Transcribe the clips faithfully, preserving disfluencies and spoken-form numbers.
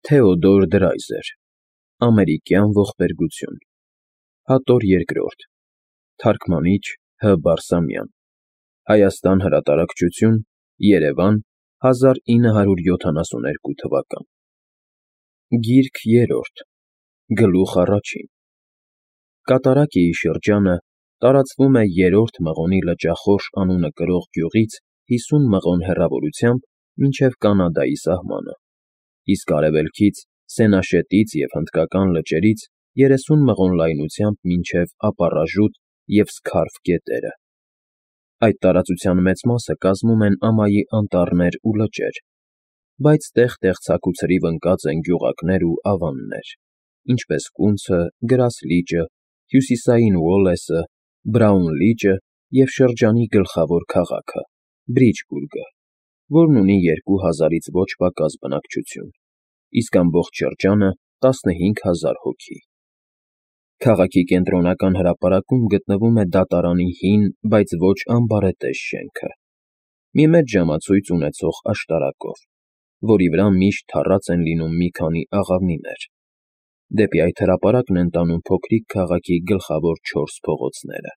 Թեոդոր Դրայզեր, Ամերիկյան ողբերգություն, Հատոր երկրորդ, Թարգմանիչ Հ. Բարսամյան, Հայաստան հրատարակչություն, Երևան, հազար ինը հարյուր յոթանասունութ թվական։ Գիրք երրորդ, Գլուխ առաջին։ Կատարակիի շրջանը տարածվում է Երրորդ Մղոնի լճախորշ անունը կրող գյուղից հիսուն մղոն հեռավորությամբ մինչև Կանադայի սահմանը, իսկ արևելքից Սենաշետից և Հնդկական լճերից երեսուն մղոն լայնությամբ մինչև Ապառաժուտ և Սքարֆ գետերը։ Այդ տարածության մեծ մասը կազմում են ամայի անտառներ ու լճեր, բայց տեղ֊տեղ ցաքուցրիվ ընկած են գյուղակներ ու ավաններ, ինչպես Կունցը, Գրասլիճը, Հյուսիսային Ուոլլեսը, Բրաուն լիճը և շրջանի գլխավոր քաղաքը՝ Բրիջբուրգը, որն ունի երկու հազարից ոչ պակաս բնակչություն, իսկ ամբողջ շրջանը տասնհինգ հազար հոգի։ Քաղաքի կենտրոնական հրապարակում գտնվում է դատարանի հին, բայց ոչ անբարետես շենքը, մի մեծ ժամացույց ունեցող աշտարակով, որի վրա միշտ թառած են լինում մի քանի աղավնիներ։ Դեպի այդ հրապարակն են տանում փոքրիկ քաղաքի գլխավոր չորս փողոցները։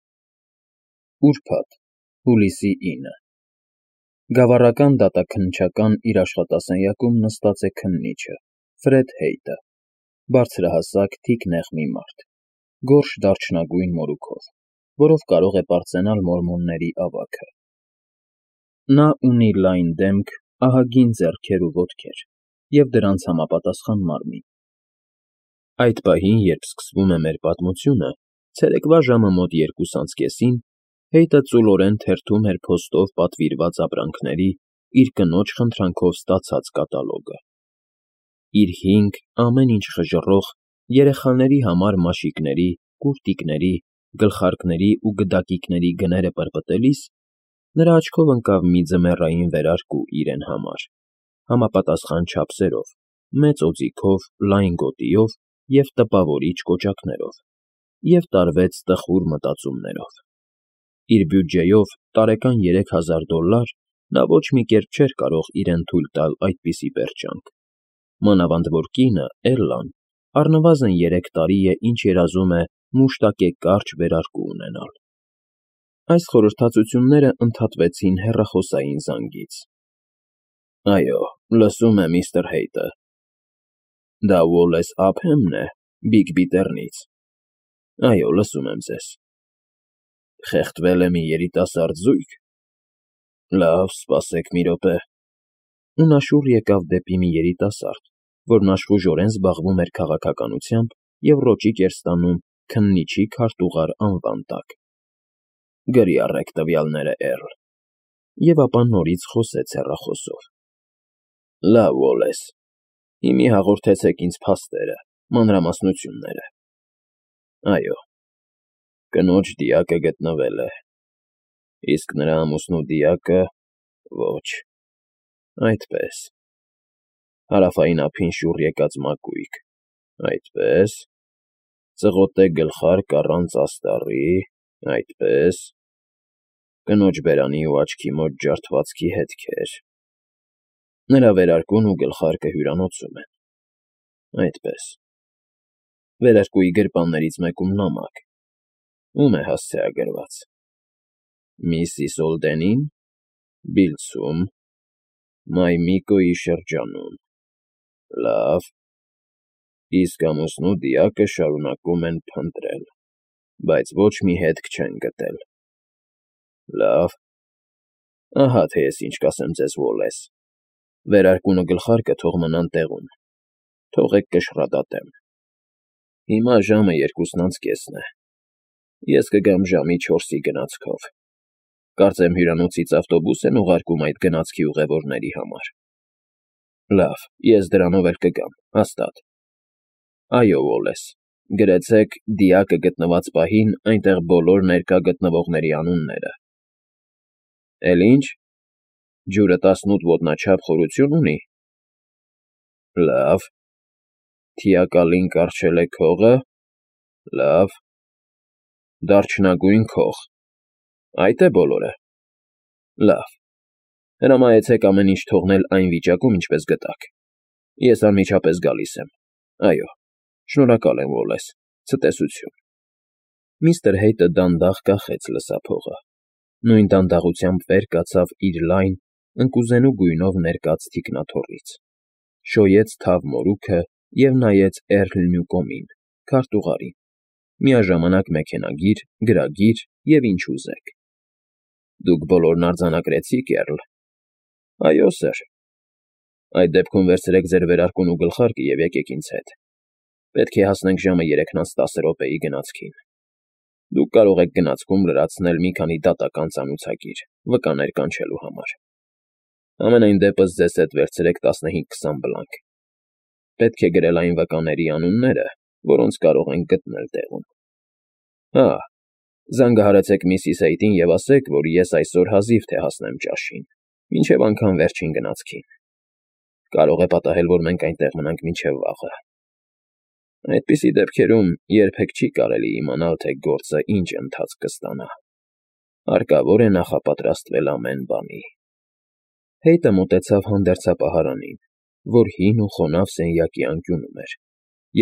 Ուրբաթ, հուլիսի ինը Գավառական դատաքննչական իր աշխատասենյակում նստած է քննիչը՝ Ֆրեդ Հեյթը, բարձրահասակ, թիկնեղ մի մարդ, գորշ դարչնագույն մորուքով, որով կարող է պարծենալ մորմոնների ավագը։ Նա ունի լայն դեմք, ահագին ձեռքեր ու ոտքեր և դրանց համապատասխան մարմին։ Այդ պահին, երբ սկսվում է մեր պատմությունը, ցերեկվա ժամը մոտ երկուս անց կեսին, Հեյթը ծուլորեն թերթում էր փոստով պատվիրված ապրանքների իր կնոջ խնդրանքով ստացած կատալոգը։ Իր հինգ, ամեն ինչ խժռող, երեխաների համար մաշիկների, կուրտիկների, գլխարկների ու գդակիկների գները պրպտելիս, նրա աչքով ընկավ մի ձմեռային վերարկու իրեն համար, համապատասխան չափսերով, մեծ օձիքով, լայն գոտիով և տպավորիչ կոճակներով, և տարվեց տխուր մտածումներով։ Իր բյուջեով տարեկան երեք հազար դոլլար նա ոչ մի կերպ չէր կարող իրեն թույլ տալ այդպիսի պերճանք, մանավանդ որ կինը՝ Էլլան, առնվազն երեք տարի է, ինչ երազում է մուշտակե կարճ վերարկու ունենալ։ Այս խորհրդածությունները ընդհատվեցին հեռախոսային զանգից։ ֊ Այո, լսում եմ, միստր Հեյթը։ Դա Ուոլլես Ափհեմն է, Բիգ-Բիթեռնից։ Այո, լսում եմ ձեզ։ Խեղդվել է մի երիտասարդ զույգ։ Լավ, սպասեք մի րոպե։ Ու նա շուռ եկավ դեպի մի երիտասարդ, որն աշխուժորեն զբաղվում էր քաղաքականությամբ և ռոճիկ էր ստանում քննիչի քարտուղար անվան տակ։ Գրի առեք տվյալները, Էռլ։ Եվ ապա նորից խոսեց հեռախոսով։ Լավ, Ուոլլես, հիմի հաղորդեցեք ինձ փաստերը, մանրամասնությունները։ Այո, կնոջ դիակը գտնվել է, իսկ նրա ամուսնու դիակը՝ ոչ, այդպես, հարավային ափին շուռ եկած մակույկ, այդպես, ծղոտե գլխարկ առանց աստառի, այդպես, կնոջ բերանի ու աչքի մոտ ջարդվածքի հետքեր, նրա վերարկուն ու գլխարկը հյուրանոցում են, այդպես, վերարկուի գրպաններից մեկում նամակ, ում է հասցեագրված. Միսիս Օլդենին, Բիլցում, Մայմիկոյի շրջանում, լավ, իսկ ամուսնու դիակը շարունակում են փնտրել, բայց ոչ մի հետք չեն գտել։ Լավ, ահա թե ես ինչ կասեմ ձեզ, Ուոլլես, վերարկուն ու գլխարկը թող մնան տեղում, թողեք կշռադատեմ։ Հիմա ժամը երկուսն անց կեսն է, ես կգամ ժամի չորսի գնացքով, կարծեմ հյուրանոցից ավտոբուս են ուղարկում այդ գնացքի ուղևորների համար։ Լավ, ես դրանով էլ կգամ, հաստատ։ Այո, Ուոլլես, գրեցեք դիակը գտնված պահին այնտեղ բոլոր ներկա գտնվողների անունները։ Էլ ինչ, ջուրը տասնութ ոտնաչափ խորություն ունի։ Լավ, թիակալին կառչել է քողը։ Լավ, դարչնագույն քող, այդ է բոլորը։ Լավ, հրամայեցեք ամեն ինչ թողնել այն վիճակում, ինչպես գտաք։ Ես անմիջապես գալիս եմ։ Այո, շնորհակալ եմ, Ուոլլես, ցտեսություն։ Միստր Հեյթը դանդաղ կախեց լսափողը, նույն դանդաղությամբ վեր կացավ իր լայն, ընկուզենու գույնով ներկած թիկնաթոռից, շոյեց թավ մորուքը և նայեց Էռլ Նյուկոմին, քարտուղարին, միաժամանակ մեքենագիր, գրագիր և ինչ ուզեք։ Դուք բոլորն արձանագրեցի՞ք, Էռլ։ Այո, սըր։ Այդ դեպքում վերցրեք ձեր վերարկուն ու գլխարկը և եկեք ինձ հետ։ Պետք է հասնենք ժամը երեքն անց տասը րոպեի գնացքին։ Դուք կարող եք գնացքում լրացնել մի քանի դատական ծանուցագիր, վկաներ կանչելու համար։ Համենայն դեպս ձեզ հետ վերցրեք տասնհինգ֊քսան բլանկ։ Պետք է գրել այն վկաների անունները, որոնց կարող ենք գտնել տեղում։ Հա, զանգահարեցեք միսիս Հեյթին և ասեք, որ ես այսօր հազիվ թե հասնեմ ճաշին, մինչև անգամ վերջին գնացքին։ Կարող է պատահել, որ մենք այնտեղ մնանք մինչև վաղը։ Այդպիսի դեպքերում երբեք չի կարելի իմանալ, թե գործը ինչ ընթացք կստանա։ Հարկավոր է նախապատրաստվել ամեն բանի։ Հեյթը մոտեցավ հանդերձապահարանին, որ հին ու խոնավ սենյակի անկյունում էր,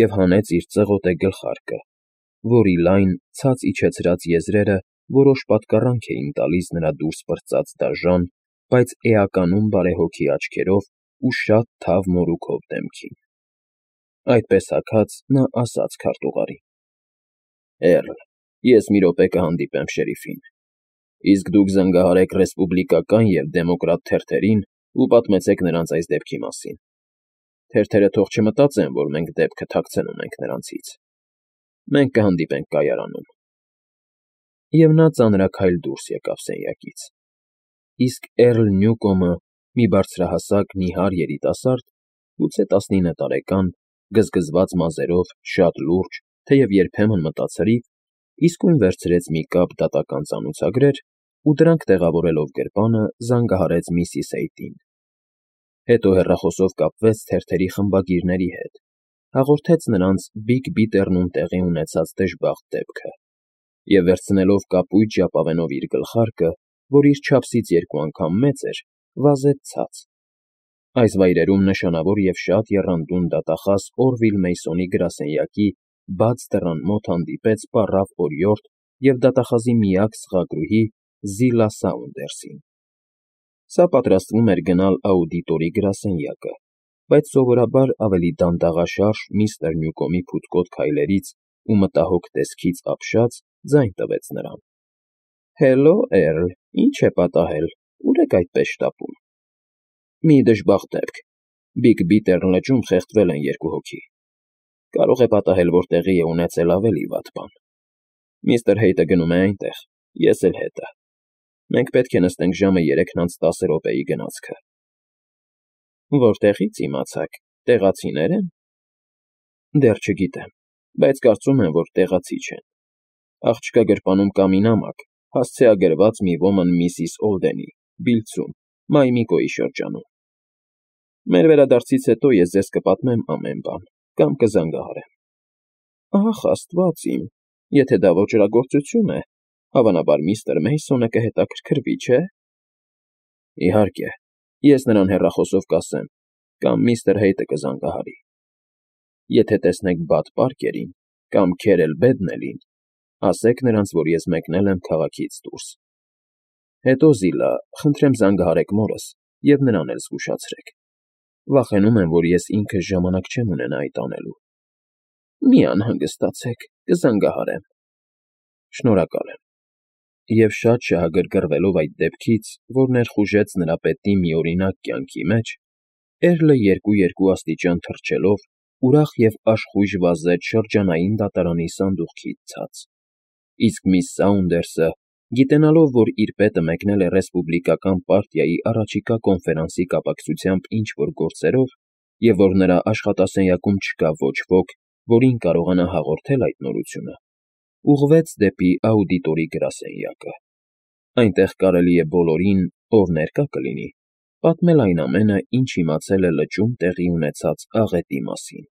և հանեց իր ծղոտե գլխարկը, որի լայն, ցած իջեցրած եզրերը որոշ պատկառանք էին տալիս նրա դուրս պրծած դաժան, բայց էականում բարեհոգի աչքերով ու շատ թավ մորուքով դեմքին։ Այդպես հագած նա ասաց քարտուղարին. Էռլ, ես մի րոպե կհանդիպեմ շերիֆին, իսկ դուք զանգահարեք ռեսպուբլիկական և դեմոկրատ թերթերին ու պատմեցեք նրանց այս դեպքի մասին։ Թերթերը թող չմտածեն, որ մենք դեպքը թաքցնում ենք նրանցից։ Մենք կհանդիպենք կայարանում։ Եվ նա ծանրաքայլ դուրս եկավ սենյակից։ Իսկ Էռլ Նյուկոմը, մի բարձրահասակ, նիհար երիտասարդ, գուցե տասնինը տարեկան, գզգզված մազերով, շատ լուրջ, թեև երբեմն մտածրիվ, իսկույն վերցրեց մի կապ դատական ծանուցագրեր ու դրանք տեղավորելով գրպանը զանգահարեց միսիս Հեյթին։ Հետո հեռախոսով կապվեց թերթերի խմբագիրների հետ, հաղորդեց նրանց Բիգ Բիթեռնում տեղի ունեցած դժբախտ դեպքը և, վերցնելով կապույտ ժապավենով իր գլխարկը, որ իր չափսից երկու անգամ մեծ էր, վազեց ցած։ Այս վայրերում նշանավոր և շատ եռանդուն դատախազ Օրվիլ Մեյսոնի գրասենյակի բաց դռան մոտ հանդիպեց պառավ օրիորդ և դատախազի միակ սղագրուհի Զիլա Սաունդերսին։ Սա պատրաստվում էր գնալ աուդիտորի գրասենյակը, բայց սովորաբար ավելի դանդաղաշարժ միստր Նյուկոմի փութկոտ քայլերից ու մտահոգ տեսքից ապշած ձայն տվեց նրան. Հելլո, Էռլ, ի՞նչ է պատահել, ուր եք այդպես շտապում։ Մի դժբախտ դեպք, Բիգ Բիթեռ լճում խեղդվել են երկու հոգի։ Կարող է պատահել, որ տեղի է ունեցել ավելի վատ բան։ Միստր Հեյթը գնում է այնտեղ, ես էլ հետը։ Մենք պետք է նստենք ժամը երեքն անց տասը րոպեի գնացքը։ Որտեղի՞ց իմացաք, տեղացինե՞ր են։ Դեռ չգիտեմ, բայց կարծում եմ, որ տեղացի չեն։ Աղջկա գրպանում կա մի նամակ, հասցեագրված մի ոմն միսիս Օլդենի, Բիլցում, Մայմիկոյի շրջանում։ Մեր վերադարձից հետո ես ձեզ կպատմեմ ամեն բան, կամ կզանգահարեմ։ Ահ, աստված իմ, եթե դա ոճրագործություն է, հավանաբար միստր Մեյսոնը կհետաքրքրվի, չէ՞։ Իհարկե, ես նրան հեռախոսով կասեմ, կամ միստր Հեյթը կզանգահարի։ Եթե տեսնեք Բադ Պարկերին կամ Քերել Բեդնելին, ասեք նրանց, որ ես մեկնել եմ քաղաքից դուրս։ Հետո, Զիլա, խնդրեմ զանգահարեք մորս և նրան էլ զգուշացրեք։ Վախենում եմ, որ ես ինքս ժամանակ չեմ ունենա այդ անելու։ Մի անհանգստացեք, կզանգահարեմ։ Շնորհակալ եմ։ Եվ շատ շահագրգռվելով այդ դեպքից, որ ներխուժեց նրա պետի միօրինակ կյանքի մեջ, Էռլը երկու֊երկու աստիճան թռչելով ուրախ և աշխույժ վազեց շրջանային դատարանի սանդուղքից ցած։ Իսկ միս Սաունդերսը, գիտենալով, որ իր պետը մեկնել է ռեսպուբլիկական պարտիայի առաջիկա կոնֆերանսի կապակցությամբ ինչ֊որ գործերով, և որ նրա աշխատասենյակում չկա ոչ ոք, որին կարողանա հաղորդել այդ նորությունը, ուղղվեց դեպի աուդիտորի գրասենյակը։ Այնտեղ կարելի է բոլորին, ով ներկա կլինի, պատմել այն ամենը, ինչ իմացել է լճում տեղի ունեցած աղետի մասին։